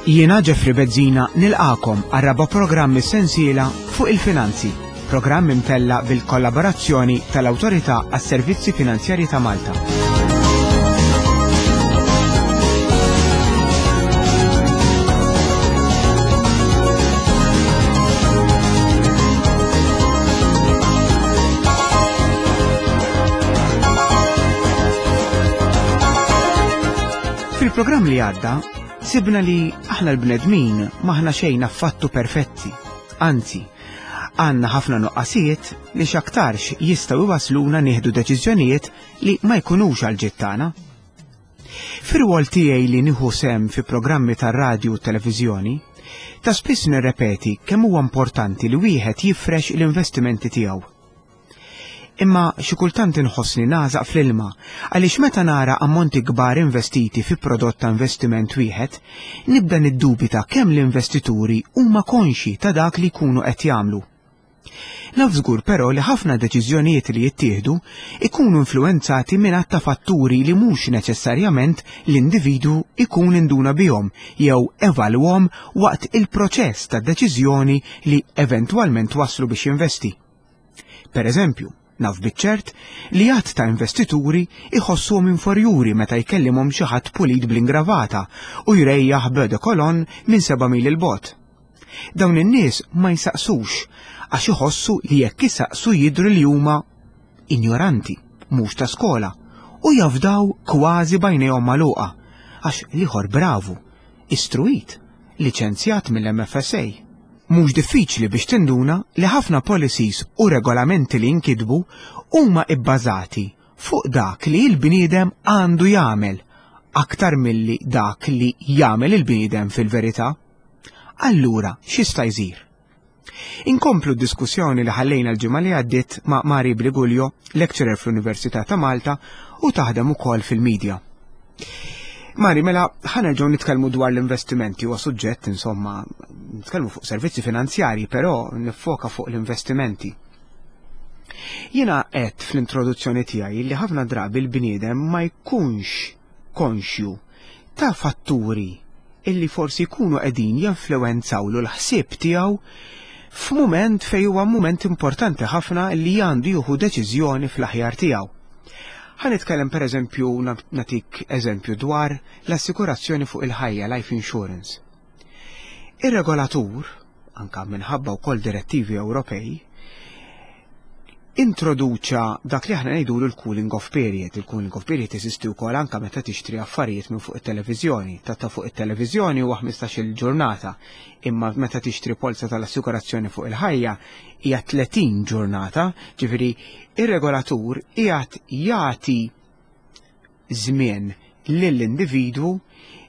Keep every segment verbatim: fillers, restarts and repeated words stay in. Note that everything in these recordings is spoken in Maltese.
Jiena Jeffrey Bezzina nilqagħkom għar-raba' programm sensiela fuq il-finanzi, programm imtella bil-kollaborazzjoni tal-Awtorità għas-Servizzi Finanzjarji ta' Malta. Fil-programm li għadda, sibna li aħna l-bnedmin m'aħna xejn affattu perfetti. Anzi, għandna ħafna nuqqasijiet li x'aktarx jistgħu iwasluna nieħdu deċiżjonijiet li ma jkunux għal ġid tagħna. Fir-rwol tiegħi li nieħu sehem fi programmi tar-radju u televiżjoni, ta' spiss nirrepeti kemm huwa importanti li wieħed jifrex l-investimenti tiegħu. Imma xi kultant inħossni nagħżaq fl-ilma għaliex meta nara ammonti kbar investiti fi prodott ta' investiment wieħed, nibda niddubita kemm l-investituri huma konxi ta' dak li jkunu qed jagħmlu. Naf żgur però li ħafna deċiżjonijiet li jittieħdu ikunu influwenzati minn għadd ta' fatturi li mhux neċessarjament l-individwu ikun induna bihom jew evalwhom waqt il-proċess ta' deċiżjoni li eventwalment waslu biex jinvesti. Per eżempju, naf biċ-ċert li għadd ta' investituri iħossuhom inferjuri meta jkellimhom xi ħadd pulit bl-ingravata u jrejjaħ b'eau de cologne minn seba' mil 'il bogħod. Dawn in-nies ma jsaqsux għax iħossu li jekk isaqsu jidhru li huma injoranti, mhux ta' skola, u jafdaw kważi b'għajnejhom magħluqa għax l-ieħor bravu, istruit, liċenzjat mill-M F S A. Mhux diffiċli biex tinduna li ħafna policies u regolamenti li jinkitbu huma ibbażati fuq dak li l-bniedem għandu jagħmel aktar milli dak li jagħmel il-bniedem fil-verità. Allura, x'jista' jsir? Inkomplu d-diskussjoni li ħallejna l-ġimgħa li għaddiet ma' Mari Briguglio, lecturer fl-Università ta' Malta u taħdem ukoll fil-medja. Mari, mela, ħa nerġgħu nitkellmu dwar l-investimenti, huwa suġġett, insomma, nitkellmu fuq servizzi finanzjari, però nifoka fuq l-investimenti. Jiena qed fl-introduzzjoni tiegħi li ħafna drabi l-bniedem ma jkunx konxju ta' fatturi illi forsi jkunu qegħdin jinfluwenzawlu l-ħsieb tiegħu f'mument fejn huwa mument importanti ħafna li għandu jieħu deċiżjoni fl-aħjar tiegħu. Ħa nitkellem, per eżempju, nagħtik eżempju dwar l-assikurazzjoni fuq il-ħajja, life insurance. Ir-regolatur, anka minħabba wkoll direttivi Ewropej, introduċa dak li aħna ngħidulu l-cooling off period. Il-cooling off period jeżisti wkoll anka meta tixtri affarijiet minn fuq it-televiżjoni. Ta' ta' fuq it-televiżjoni huwa ħmistax-il ġurnata, imma meta tixtri polza tal-assikurazzjoni fuq il-ħajja hija tletin ġurnata, ġifieri ir-regolatur qiegħed jagħti żmien lill-individwu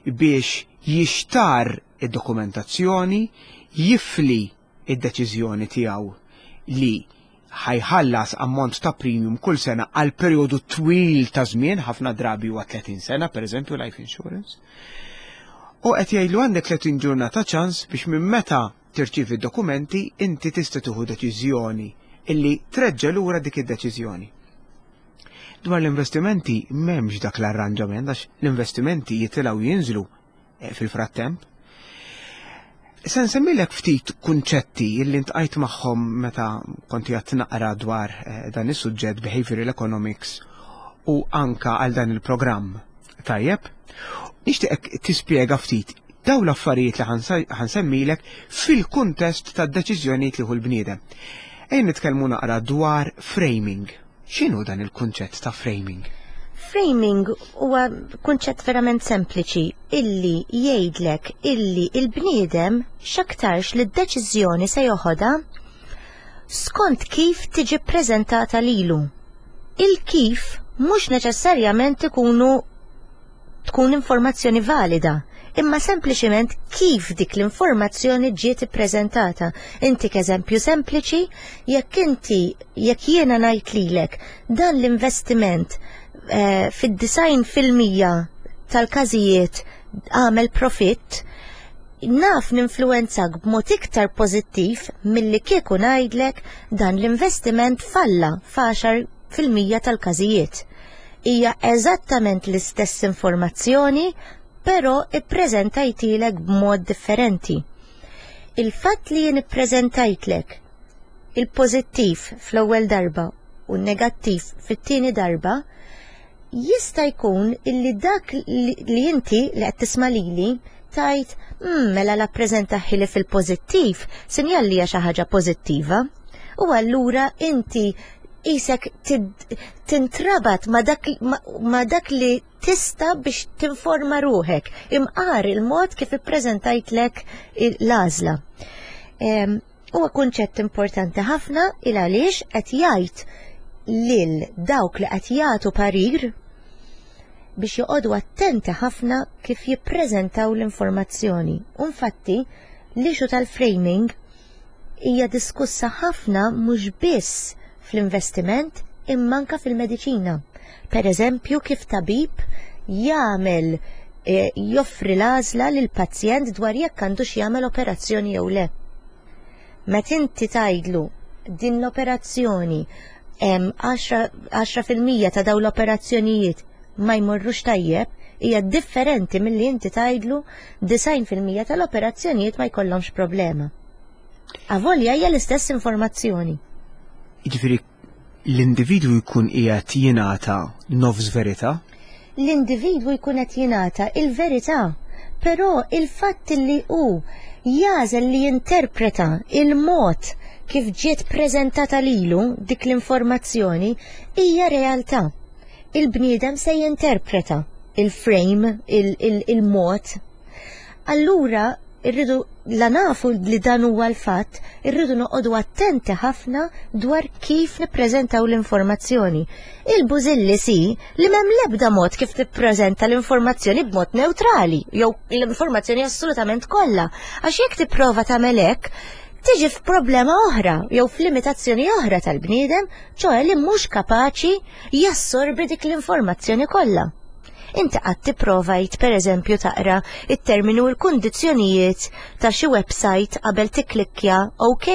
biex jixtar id-dokumentazzjoni, jifli id-deċiżjoni tiegħu li ħa jħallas ammont ta' premium kull sena għal perjodu twil ta' żmien, ħafna drabi huwa tletin sena, per eżempju, life insurance. U qed jgħidlu għandek tletin ġurnata ċans biex minn meta tirċievi d-dokumenti inti tista' tieħu deċiżjoni illi treġġa' lura dik id-deċiżjoni. Dwar l-investimenti m'hemmx dak l-arranġament għax l-investimenti jitilgħu jinżlu eh, fil-frattemp. Se nsemmilek ftit kunċetti illi ltqajt magħhom meta kont qed naqra dwar eh, dan is-suġġett behavioral economics u anka għal dan il-programm. Tajjeb? Nixtieqek tispjega ftit daw l-affarijiet li ħa nsemmilek fil-kuntest tad-deċiżjonijiet li jieħu l-bniedem. Ejja nitkellmu naqra dwar framing. X'inhu dan il-kunċett ta' framing? Framing huwa kunċett verament sempliċi illi jgħidlek illi il-bniedem x'aktarx li d-deċiżjoni se joħodha skont kif tiġi preżentata lilu. Il-kif mhux neċessarjament ikunu tkun informazzjoni valida, imma sempliċiment kif dik l-informazzjoni ġiet ippreżentata. Intik eżempju sempliċi, jekk inti jekk jiena ngħid lilek dan l-investiment eh, fid-disgħin fil-mija tal-każijiet għamel profitt, naf ninfluwenzak b'mod iktar pożittiv milli kieku ngħidlek dan l-investiment falla f'għaxar fil-mija tal-każijiet. Hija eżattament l-istess informazzjoni, però ippreżentajtilek b'mod differenti. Il-fatt li jien ippreżentajtlek il-pożittiv fl-ewwel darba u n-negattiv fit-tieni darba, jista' jkun illi dak li inti li qed tisma' lili tajt mm, mela la ppreżentahieli fil-pożittiv, sinjal li hija xi ħaġa pożittiva. U allura inti isek tintrabat ma dak, ma, ma dak li tista biex tinforma ruħek, imqar il-mod kif ippreżentajtlek l-għażla. Huwa kunċett importanti ħafna il għaliex qed jgħid lil dawk li qed jagħtu parir biex joqogħdu attenti ħafna kif jippreżentaw l-informazzjoni. Infatti, l-issue tal-framing hija diskussa ħafna mhux biss fl-investiment imma anka fil-mediċina. Per eżempju, kif tabib jagħmel eh, joffri l-għażla lil pazjent dwar jekk għandux jagħmel operazzjoni jew le. Meta inti tgħidlu din l-operazzjoni hemm għaxra fil-mija ta' dawn l-operazzjonijiet ma jmorrux tajjeb, hija differenti milli inti tgħidlu disgħin fil-mija tal-operazzjonijiet ma jkollhomx problema. Avolja hija l-istess informazzjoni. Jiġifieri l-individwu jkun qiegħed jingħata nofs verità? L-individwu jkun qed jingħata il-verità, però il-fatt li hu jagħżel li jinterpreta il-mod kif ġiet preżentata lilu dik l-informazzjoni hija realtà. Il-bniedem se jinterpreta il-frame, il-mod. Allura, irridu la nafu li dan huwa l-fatt, irridu noqogħdu attenti ħafna dwar kif nippreżentaw l-informazzjoni. Il-bużilli si li m'hemm l-ebda mod kif tippreżenta l-informazzjoni b'mod neutrali, jew l-informazzjoni assolutament kollha. Għax jekk tipprova tagħmel hekk, tiġi f'problema oħra jew f'limitazzjoni oħra tal-bniedem, ċoè li mhux kapaċi jassorbi dik l-informazzjoni kollha. Inti qatt tipprovajt, pereżempju, taqra it-terminu u l-kundizzjonijiet ta' xi website qabel tikklikkja OK?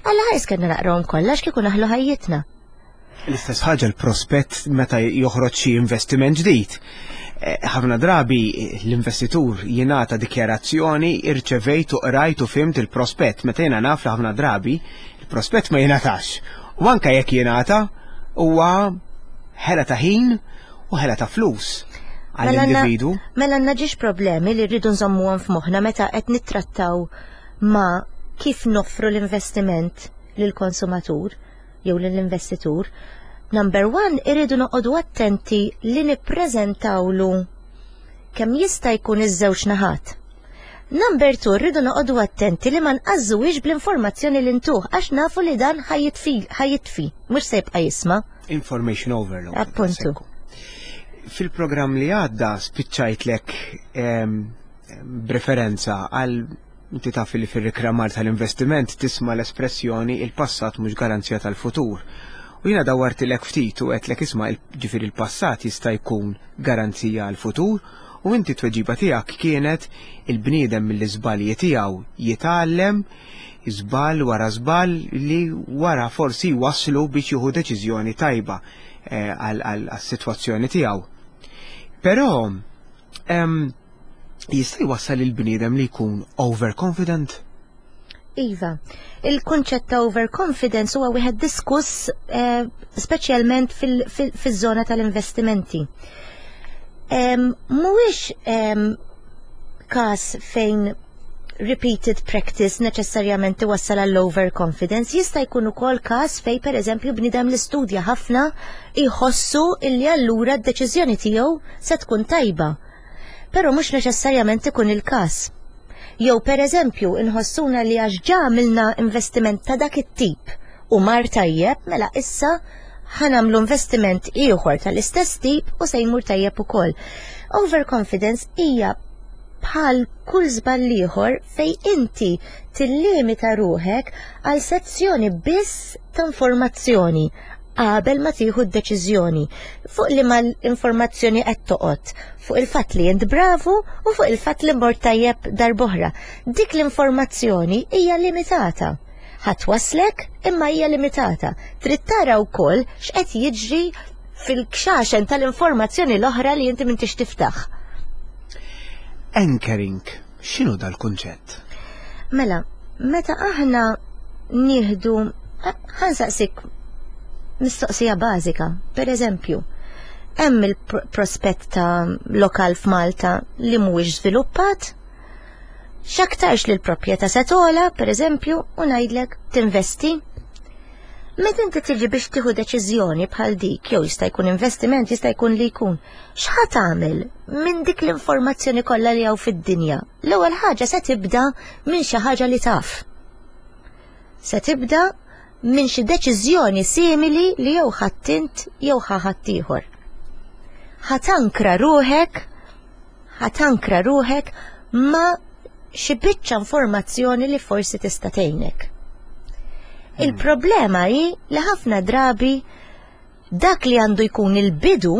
Alla ħares kellna naqrawhom kollha, kieku naħlu ħajjitna. L-istess ħaġa l-prospett meta joħroġ xi investiment ġdid. Eh, ħafna drabi l-investitur jingħata dikjarazzjoni: irċevejt u qrajt u fhimt il-prospett, meta jiena naf li ħafna drabi il-prospett ma jingħatax. U anke jekk jingħata, huwa ħela ta' ħin u ħela ta' flus għall-individu. Mela għandna żewġ problemi li rridu nżommuhom f'moħħna meta qed nittrattaw ma' kif noffru l-investiment lill-konsumatur jew lill-investitur. Number one, irridu noqogħdu attenti li nippreżentawlu kemm jista' jkun iż-żewġ naħat. Number two, rridu noqogħdu attenti li ma nqażżuwix bl-informazzjoni li ntuh, għax nafu li dan ħa jitfi, mhux se jibqa' jisma'. Information overload. Appuntu. Fil-programm li għadda spiċċajtlek b'referenza għal, inti taf li fil-reklamar tal-investiment tisma' l-espressjoni "il-passat mhux garanzija tal-futur". U jiena dawartilek ftit u għedtlek, isma', ġifieri il-passat jista' jkun garanzija għal-futur, u inti tweġiba tiegħek kienet il-bniedem mill-iżbalji tiegħu jitgħallem, żball wara żball li wara forsi waslu biex jieħu deċiżjoni tajba eh, għal-sitwazzjoni tiegħu. Però jista' jwassal il-bniedem li jkun overconfident? Iva, il-kunċett ta' overconfidence huwa wieħed diskuss eh, speċjalment fil-żona tal-investimenti. Mhuwiex każ fejn repeated practice neċessarjament iwassal għall overconfidence, jista' jkun ukoll każ fejn, pereżempju, bniedem li studja ħafna jħossu illi allura d-deċiżjoni tiegħu se tkun tajba. Però mhux neċessarjament ikun il-każ. Jew, pereżempju, inħossuna li għax ġa għamilna investiment ta' dak it-tip u mar tajjeb, mela issa ħa nagħmlu investiment ieħor tal-istess tip u se jmur tajjeb ukoll. Overconfidence hija bħal kull żball ieħor fejn inti tillimita ruħek għal sezzjoni biss ta' informazzjoni qabel ma tieħu d-deċiżjoni. Fuq li ma l-informazzjoni qed toqgħod, fuq il-fatt li int bravu u fuq il-fatt li mort tajjeb darb'oħra. Dik l-informazzjoni hija limitata. Ħa twasslek, imma hija limitata. Trid tara wkoll x'qed jiġri fil-kxaxen tal-informazzjoni l-oħra li inti m'intix tiftaħ. Anchoring, x'inhu dal-kunċett? Mela, meta aħna nieħdu, ħa nsaqsik mistoqsija bażika, per eżempju, hemm il-prospett ta' lokal f'Malta li mhuwiex żviluppat, x'aktarx li l-proprjetà se togħla, per eżempju, u ngħidlek tinvesti. Meta inti tiġi biex tieħu deċiżjoni bħal dik, jew jista' jkun investiment, jista' jkun li jkun, x'ħa tagħmel minn dik l-informazzjoni kollha li hawn fid-dinja? L-ewwel ħaġa se tibda minn xi ħaġa li taf. Se tibda minn xi deċiżjoni simili li jew ħadt int jew ħa ħaddieħor. Ħa tankra ruħek, ħa tankra ruħek ma' xi biċċa informazzjoni li forsi tista' tgħinek. Il-problema hi li ħafna drabi dak li għandu jkun il-bidu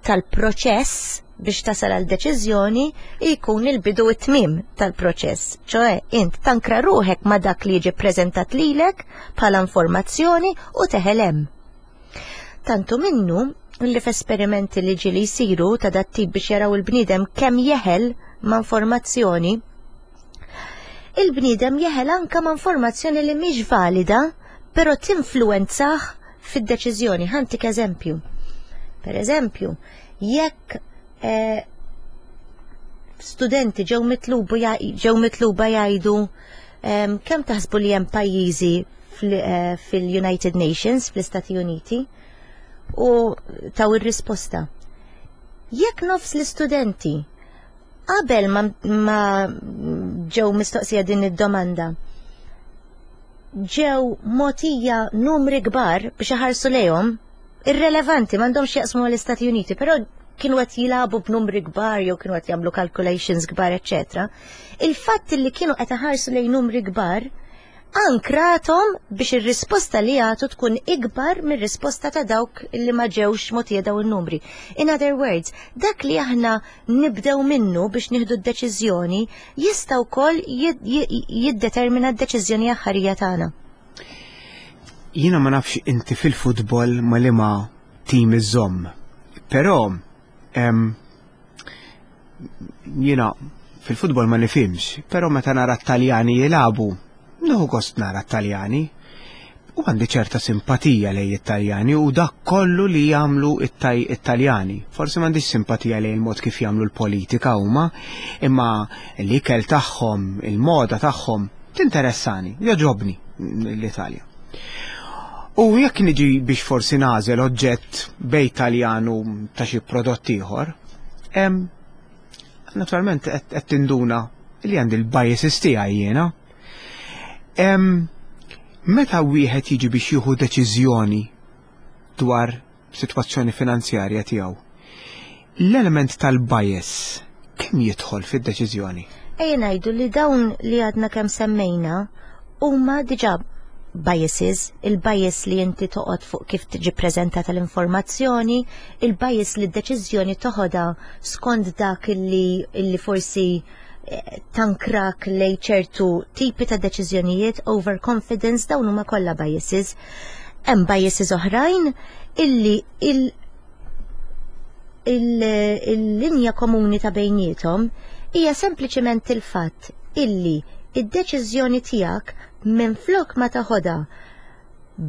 tal-proċess biex tasal għal deċiżjoni jkun il-bidu it-tmim tal-proċess. ċoè, int tankra ruħek ma dak li jiġi prezentat lilek bħala informazzjoni u teħel hemm. Tantu minnu li f'esperimenti li ġieli jsiru ta' dat-tip biex jaraw il-bniedem kemm jeħel ma' informazzjoni, il-bniedem jeħel anka ma' informazzjoni li mhix valida, però tinfluwenzah fid-deċiżjoni. Ħa ntik eżempju. Per eżempju, jekk eh, studenti ġew mitlubu ġew mitluba jgħidu um, kemm taħsbu li hemm pajjiżi eh, fil-United Nations, fl-Istati Uniti, u taw ir-risposta. Jekk nofs l-istudenti qabel ma, ma ġew mistoqsija din id-domanda ġew mogħtija numri kbar biex iħarsu lejhom irrelevanti, m'għandhomx jaqsmu l-Istati Uniti, però kienu qed jilagħbu b'numri kbar jew kienu qed jagħmlu calculations kbar, eċetera. Il-fatt li kienu qed iħarsu lejn numri kbar ankrathom biex ir-risposta li jagħtu tkun ikbar mir-risposta ta' dawk li ma ġewx mogħtija daw in-numri. In other words, dak li aħna nibdew minnu biex nieħdu d-deċiżjoni jista' wkoll jiddetermina d-deċiżjoni aħħarija tagħna. Jiena ma nafx inti fil-futbol ma liema tim iżomm, però jiena fil-futbol ma nifhimx, però meta nara t-Taljani jilagħbu, nieħu gost nara t-Taljani. U għandi ċerta simpatija lejn it-Taljani u dak kollu li jagħmlu it-Taljani. Forsi m'għandix simpatija lejn il-mod kif jagħmlu l-politika huma, imma l-ikel tagħhom, il-moda tagħhom tinteressani, jogħġobni l-Italja. U jekk niġi biex forsi nagħżel oġġett bejn Taljan u ta' xi prodott ieħor, naturalment qed tinduna li għandi l-biases tiegħi jiena. Meta wieħed jiġi biex jieħu deċiżjoni dwar sitwazzjoni finanzjarja tiegħu, l-element tal-bias kemm jidħol fid-deċiżjoni? Ejja ngħidu li dawn li għadna kemm semmejna huma diġà biases, il-bias li inti toqgħod fuq kif tiġi preżentata l-informazzjoni, il-bias li d-deċiżjoni toħodha skont dak illi, illi forsi eh, tankrak lej ċertu tipi ta' deċiżjonijiet, overconfidence, dawn huma kollha biases. Hemm biases oħrajn illi il il-linja komuni ta' bejniethom hija sempliċement il-fatt illi id-deċiżjoni tiegħek minn flok ma taħodha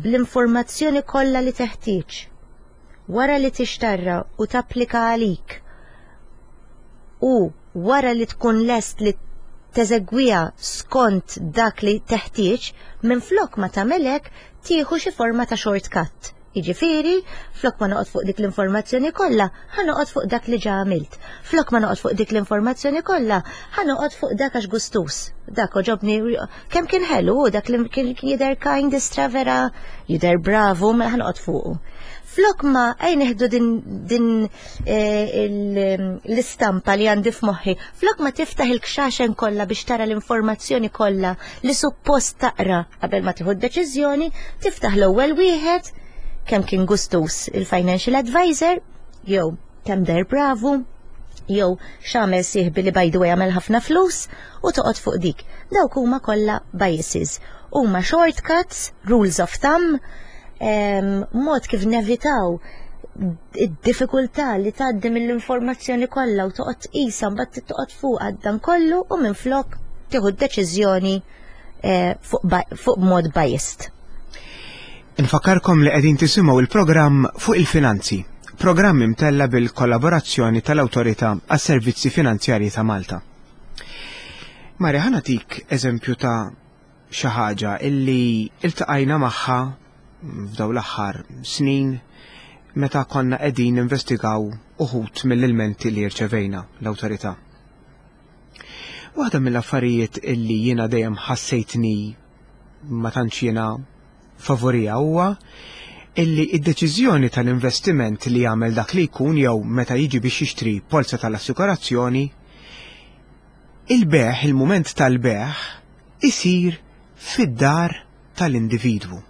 bl-informazzjoni kollha li teħtieġ wara li tixtarra u tapplika għalik u wara li tkun lest li teżegwiha skont dak li teħtieġ, minn flok ma tagħmelek tieħu xi forma ta' shortcut. Jiġifieri, flok ma noqgħod fuq dik l-informazzjoni kollha, ħa noqgħod fuq dak li ġa għamilt. Flok ma noqgħod fuq dik l-informazzjoni kollha, ħa noqgħod fuq dak għax gustus. Dak għoġobni kemm kien ħelu, dak li kien jidher kind istra vera, jidher bravu, mela ħa noqgħod fuqu. Flok ma ej neħdu din, din eh, l-istampa li għandi f'moħħi, flok ma tiftaħ il-kxaxen kollha biex tara l-informazzjoni kollha li suppost taqra qabel ma tieħu d-deċiżjoni, tiftaħ l-ewwel wieħed, kemm kien gustus il-financial advisor, jew kemm deher bravu, jew x'għamel sieħbi li by the way għamel ħafna flus u toqgħod fuq dik. Dawk huma kollha biases. Huma shortcuts, rules of thumb, mod kif nevitaw Id-diffikultà li tgħaddi mill-informazzjoni kollha u toqgħod tqisha, mbagħad toqgħod fuq dan kollu u minflok tieħu deċiżjoni eh, fuq fuq mod biased. Infakkarkom li qegħdin tisimgħu il-programm Fuq il-Finanzi, programm imtella bil-kollaborazzjoni tal-Awtorità għas-Servizzi Finanzjarji ta' Malta. Mari, ħa nagħtik eżempju ta' xi ħaġa illi iltaqajna magħha f'dawn l-aħħar snin meta konna qegħdin investigaw uħud mill-ilmenti li rċevejna l-awtorità. Waħda mill-affarijiet illi jiena dejjem ħassejtni ma tantx jiena favorija huwa illi id-deċiżjoni tal-investiment li jagħmel dak li jkun jew meta jiġi biex jixtri polza tal-assikurazzjoni, il-bejgħ, il-mument tal-bejgħ, isir fid-dar tal-individwu.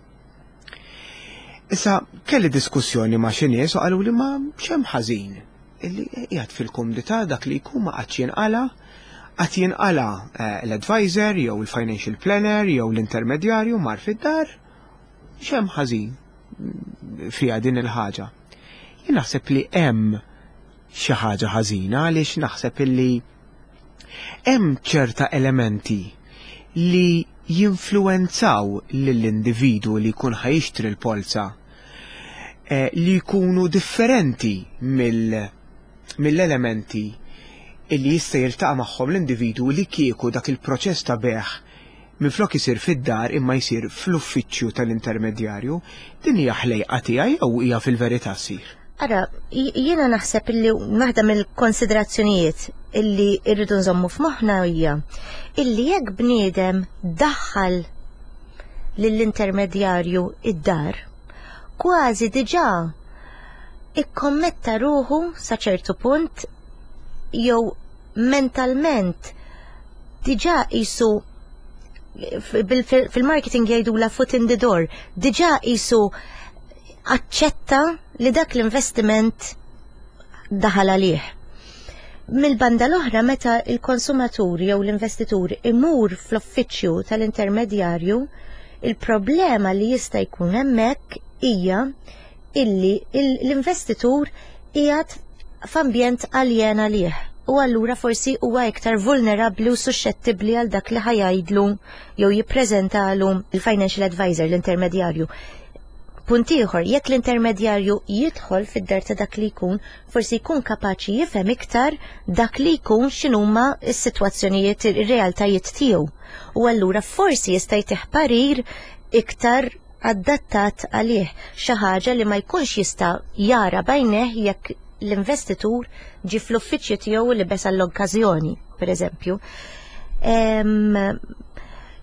Issa kelli diskussjoni ma' xi nies u qalu li ma x'hemm ħażin illi qiegħed fil-kumdità dak li jkun, ma qagħadx jinqala, qed jinqala eh, l-advisor jew il-financial planner jew l-intermedjarju mar fid-dar, x'hemm ħażin fiha din il-ħaġa? Jien naħseb li hemm xi ħaġa ħażina, għaliex naħseb illi hemm ċerta elementi li jinfluenzaw lill-individu li jkun ħa jixtri l-polza eh, li jkunu differenti mill-elementi illi jista' jiltaqa' magħhom l-individu li kieku dak il-proċess ta' bejgħ minflok isir fid-dar imma jsir fl-uffiċċju tal-intermedjarju. Din hija ħlejqa tiegħi jew hija fil-verità ssir? Ara, jiena naħseb illi waħda mill-konsiderazzjonijiet illi irridu nżommu f'moħħna hija illi jekk bniedem daħħal lill-intermedjarju id-dar, kważi diġà ikkommetta ruħu sa ċertu punt jew mentalment diġà qisu, fil-marketing jgħidu la foot in the door, diġà qisu aċċetta li dak l-investiment daħal għalih. Mill-banda l-oħra, meta il-konsumatur jew l-investitur imur fl-uffiċċju tal-intermedjarju, il-problema li jista' jkun hemmhekk hija illi l-investitur qiegħed f'ambjent aljen għalih u allura forsi huwa iktar vulnerabbli u suscettibbli għal dak li ħa jgħidlu jew jippreżentalu il-financial advisor, l-intermedjarju. Punt ieħor, jekk l-intermedjarju jidħol fid-dar ta' dak li jkun, forsi jkun kapaċi jifhem iktar dak li jkun, x'inhuma s-sitwazzjonijiet, ir-realtajiet tiegħu. U allura forsi jista' jtih parir iktar adattat għalih, xi ħaġa li ma jkunx jista' jara b'għajnejh jekk l-investitur ġi fl-uffiċċju tiegħu li libes għall-okkażjoni, per eżempju.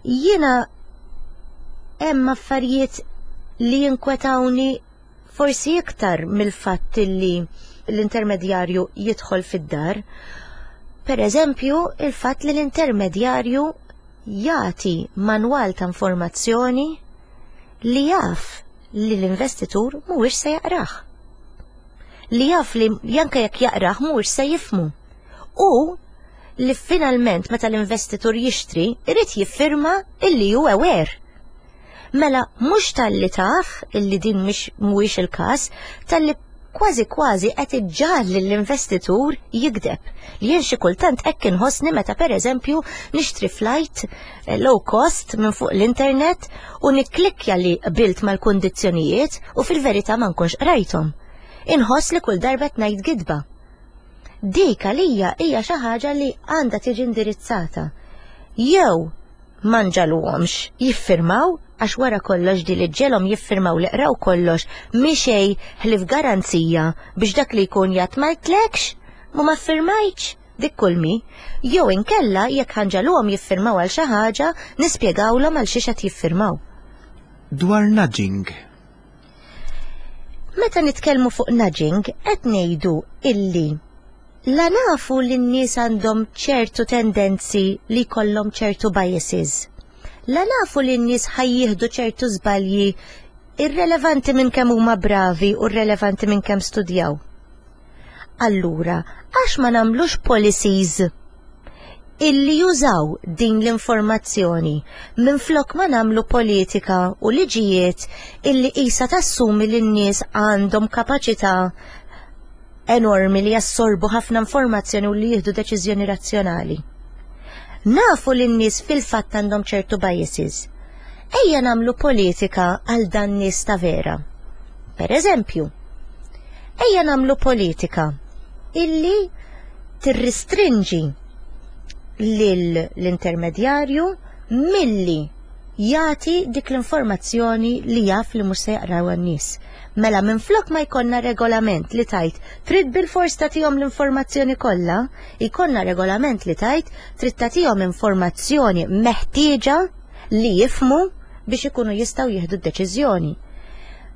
Jiena hemm affarijiet li jinkwetawni forsi iktar mill-fatt li l-intermedjarju jidħol fid-dar. Per eżempju, il-fatt li l-intermedjarju jagħti manwal ta' informazzjoni li jaf li l-investitur mhuwiex se jaqrah. Li jaf li anke jekk jaqrah mhuwiex se jifhmu. U li finalment meta l-investitur jixtri, irid jiffirma illi hu aware. Mela mhux talli taf illi din mhix mhuwiex il-każ, talli kważi kważi qed iġġagħal lill-investitur jigdeb. Li jien xi kultant hekk inħossni meta, pereżempju, nixtri flight eh, low cost minn fuq l-internet u nikklikkja li qbilt mal-kundizzjonijiet u fil-verità ma nkunx qrajthom. Inħoss li kull darba ngħid gidba. Dik għalija hija xi ħaġa li għandha tiġi indirizzata. Jew ma nġagħluhomx jiffirmaw, għax wara kollox di li ġġegħelhom jiffirmaw li qraw kollox mhi xejn ħlief garanzija biex dak li jkun jgħid "ma għedtlekx, mu ma ffirmajtx", dik kulmi. Jew inkella, jekk ħa nġagħluhom jiffirmaw għal xi ħaġa, nispjegawlhom għal xiex qed jiffirmaw. Dwar nudging. Meta nitkellmu fuq nudging, qed ngħidu illi la nafu li n-nies għandhom ċertu tendenzi li jkollhom ċertu biases. La nafu li n-nies ħa jieħdu ċertu żbalji irrelevanti minn kemm huma bravi u irrelevanti minn kemm studjaw. Allura, għax ma nagħmlux policies Illi jużaw din l-informazzjoni minflok ma nagħmlu politika u liġijiet illi qisha tassumi li n-nies għandhom kapaċità enormi li jassorbu ħafna informazzjoni u li jieħdu deċiżjoni razzjonali. Nafu li n-nies fil-fatt għandhom ċertu biases. Ejja nagħmlu politika għal dan nies ta' vera. Per eżempju, ejja nagħmlu politika illi tirristrinġi lill-intermedjarju milli jagħti dik l-informazzjoni li jaf li mhux se jaqraw n-nies. Mela minflok ma jkollna regolament li tgħid trid bil-fors tagħtihom l-informazzjoni kollha, jkollna regolament li tgħid trid tagħtihom informazzjoni meħtieġa li jifhmu biex ikunu jistgħu jieħdu d-deċiżjoni.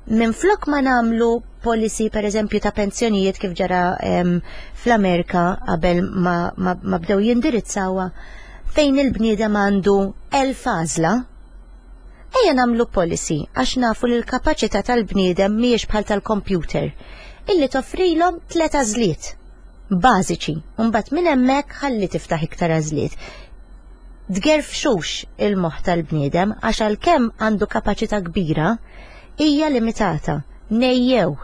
Minflok ma nagħmlu policy, per eżempju, ta' pensjonijiet kif ġara em, fl-Amerika qabel ma, ma, ma bdew jindirizzawha, fejn il-bniedem għandu elf għażla, ejja nagħmlu policy, għax nafu li l-kapaċità tal-bniedem mhijiex bħal tal-computer, illi toffrilhom tliet għażliet bażiċi, u mbagħad minn hemmhekk ħalli tiftaħ iktar għażliet. Tgerfxux il-moħħ tal-bniedem, għax għalkemm għandu kapaċità kbira, hija limitata. Nejjew.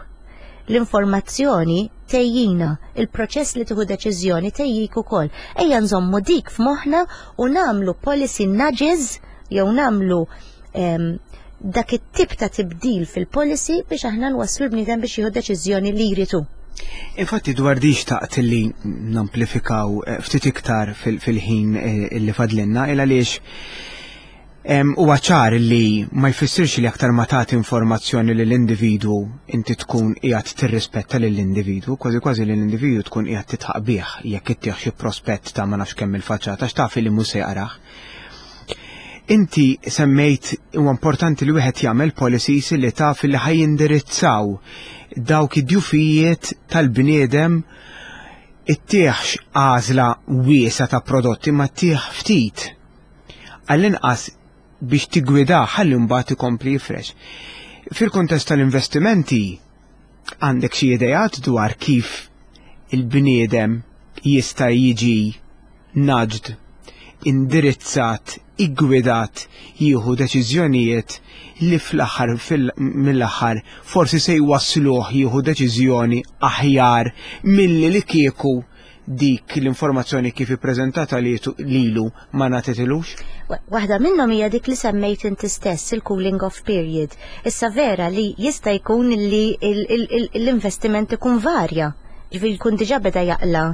L-informazzjoni tgħejjina, il-proċess li tieħu deċiżjoni tgħejjik ukoll. Ejja nżommu dik f'moħħna u nagħmlu policy nudges jew nagħmlu em, dak it-tip ta' tibdil fil-policy biex aħna nwasslu l-bniedem biex jieħu deċiżjoni li jridu. Infatti dwar di xtaqt li namplifikaw eh, ftit iktar fil-ħin eh, illi fadlinna, il għaliex huwa ċar li ma jfissirx li aktar ma tagħti informazzjoni lill individwu inti tkun qiegħed tirrispetta lill-individwu, kważi kważi lill-individwu tkun qiegħed titħaq bih jekk ittih xi prospett ta' ma nafx kemm il-faċċata x'taf li mhux se jaqrah. Inti semmejt huwa importanti li wieħed jagħmel policies li taf li ħa jindirizzaw dawk id-djufijiet tal-bniedem, ittihx għażla wiesgħa ta' prodotti ma ttih ftit. Għall-inqas biex tigwida ħalli mbagħad ikompli jifrex. Fil-kontest tal-investimenti, għandek xi ideat dwar kif il-bniedem jista' jiġi nudged, indirizzat, iggwidat jieħu deċiżjonijiet li fl-aħħar mill-aħħar forsi se jwassluh jieħu deċiżjoni aħjar milli li kieku dik l-informazzjoni kif ippreżentata lilu ma ngħatatilux? Waħda minnhom hija dik li semmejt inti stess, il-cooling off period. Issa vera li jista' jkun li l-investiment ikun varja. Ġifieri jkun diġà beda jaqla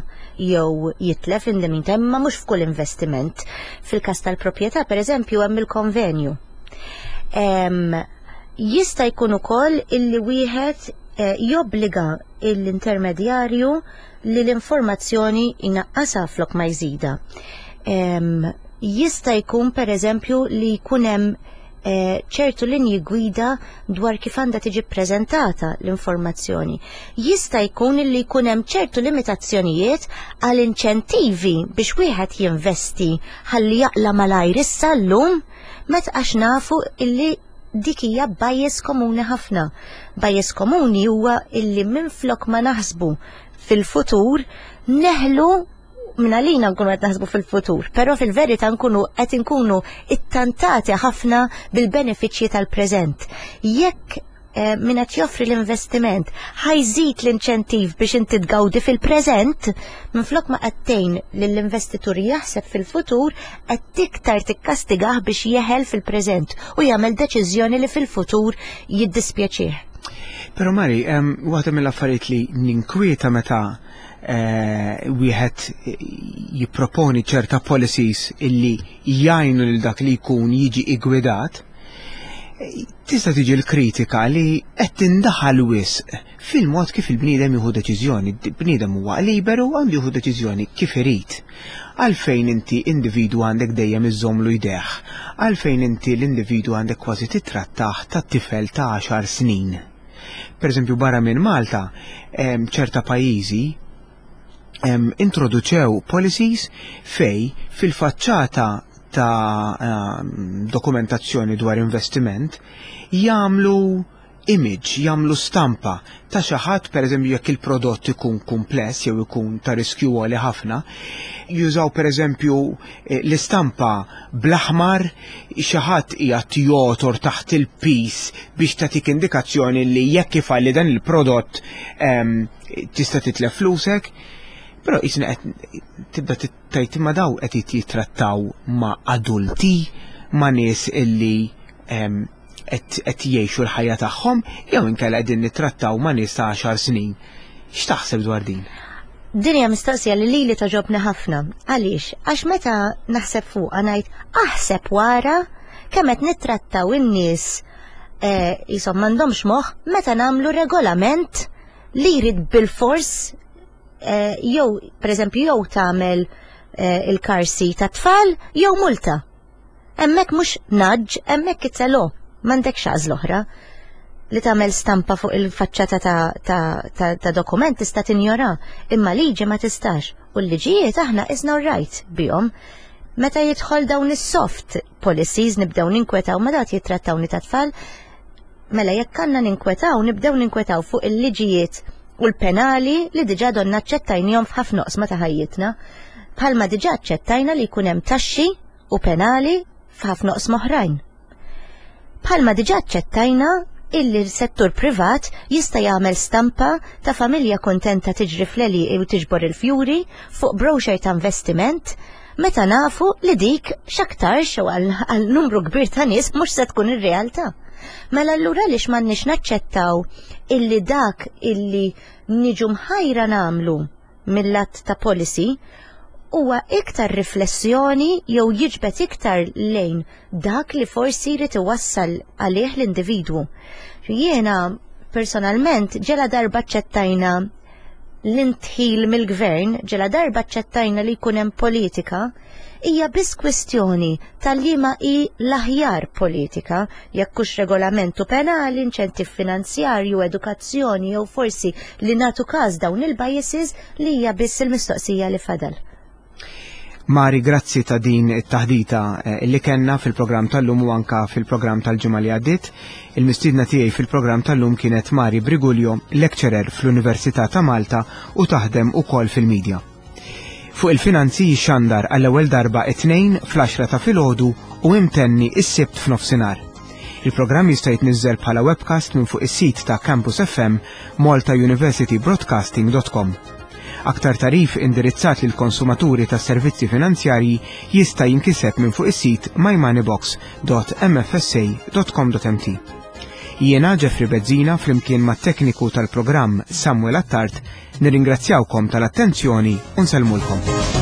jew jitlef in the meantime, ma mhux f'kull investiment. Fil-każ tal-proprjetà, pereżempju, hemm il-konvenju. Jista' jkun ukoll illi wieħed eh, jobbliga l-intermedjarju li l-informazzjoni inaqqasa flok ma jżida. Jista' jkun, per eżempju, li jkun hemm eh, ċertu linji gwida dwar kif għandha tiġi ppreżentata l-informazzjoni. Jista' jkun li jkun hemm ċertu limitazzjonijiet għal inċentivi biex wieħed jinvesti ħalli jaqla malajr issa llum, meta għax nafu illi dik hija bias komuni ħafna. Bias komuni huwa illi minflok ma naħsbu fil-futur neħlu minn għalina nkunu qed naħsbu fil-futur, però fil-verità nkunu qed inkunu ittantati ħafna bil-benefiċċji tal-preżent. Jekk eh, min qed joffri l-investiment ħa jżid l-inċentiv biex inti tgawdi fil-preżent, minflok ma qed tgħin lill-investitur jaħseb fil-futur, qed iktar tikkastigah biex jeħel fil-preżent u jagħmel deċiżjoni li fil-futur jiddispjaċih. Però Mari, waħda mill-affarijiet li ninkwieta meta eh, wieħed jipproponi ċerta policies illi jgħinu lil dak li jkun jiġi igwidat, tista' tiġi l-kritika li qed tindaħal wisq fil-mod kif il-bniedem jieħu deċiżjoni. Bniedem huwa liberu, għandu jieħu deċiżjoni kif irid. Għalfejn inti individu għandek dejjem iżżommlu jdejh? Għalfejn inti l-individu għandek kważi titrattah ta' tifel ta' għaxar snin? Per eżempju, barra minn Malta, ċerta pajjiżi introduċew policies fej fil-faċċata ta' dokumentazzjoni dwar investiment jagħmlu image, jagħmlu stampa ta' xi ħadd, pereżempju jekk il-prodott ikun kumpless jew ikun ta' riskju għoli ħafna, jużaw pereżempju eh, l-istampa bl-aħmar, xi ħadd qiegħed jogħtor taħt il-pis biex tagħtik indikazzjoni li jekk ifalli dan il-prodott ehm, tista' titlef flusek. Però jisna qed tibda tgħid imma daw qed jittrattaw ma' adulti, ma' nies illi ehm, qed jgħixu l-ħajja tagħhom jew inkella qegħdin nittrattaw ma' nies ta' għaxar snin. X'taħseb dwar din? Din hija mistoqsija li lili togħġobni ħafna. Għaliex? Għax meta naħseb fuqha ngħid aħseb wara kemm qed nittrattaw in-nies eh, jisom m'għandhomx moħħ meta nagħmlu regolament li jrid bil-fors eh, jew pereżempju jew tagħmel eh, il-car seat ta' tfal jew multa. Hemmhekk mhux nudge, hemmhekk it's a law, m'għandekx għażla oħra. Li tagħmel stampa fuq il-faċċata ta', ta, ta, ta' dokument tista' tinjora, imma liġi ma tistax. U l-liġijiet aħna isna right bihom. Meta jidħol dawn is-soft policies nibdew ninkwetaw ma dat jittrattawni ta' tfal, mela jekk għandna ninkwetaw, nibdew ninkwetaw fuq il-liġijiet u l-penali li diġà donna aċċettajnihom f'ħafna oqsma ta' ħajjitna. Bħalma diġà aċċettajna li jkun hemm taxxi u penali f'ħafna oqsma oħrajn. Bħalma diġà aċċettajna illi l-settur privat jista' jagħmel stampa ta' familja kontenta tiġri fl-għelieqi u tiġbor il-fjuri fuq brochure ta' investiment meta nafu li dik x'aktarx u għal għal numru kbir ta' nies mhux se tkun ir-realtà. Mela allura għaliex m'għandniex naċċettaw illi dak illi niġu mħajra nagħmlu mill-att ta' policy huwa iktar riflessjoni jew jiġbed iktar lejn dak li forsi jrid iwassal għalih l-individwu. Jiena personalment ġela darba ċettajna l-indħil mill-gvern, ġela darba ċettajna li jkun hemm politika, hija biss kwestjoni tal-liema hi l-aħjar politika, jekk hux regolamentu penali, inċentiv finanzjarju, edukazzjoni jew forsi li nagħtu każ dawn il-biases li hija biss il-mistoqsija li fadal. Mari, grazzi ta' din it-taħdita eh, li kellna fil-programm tal-lum u anka fil-programm tal-ġimgħa li għaddiet. Il-mistiedna tiegħi fil-programm tal-lum kienet Mari Briguglio, lecturer fl-Università ta' Malta u taħdem ukoll fil-medja. Fuq il-finanzi jixxandar għall-ewwel darba it-tnejn fl-għaxra ta' filgħodu u imtenni is-sibt f'nofsinhar. Il-programm jista' jitniżżel bħala webcast minn fuq is-sit ta' Campus F M malta university broadcasting dot com. Aktar tagħrif indirizzat lil konsumaturi ta' servizzi finanzjarji jista' jinkiseb minn fuq is-sit mymoneybox dot M F S A dot com dot M T. Jiena Jeffrey Bezzina flimkien mat tekniku tal-programm Samuel Attard nirringrazzjawkom tal-attenzjoni u nsellmulkom.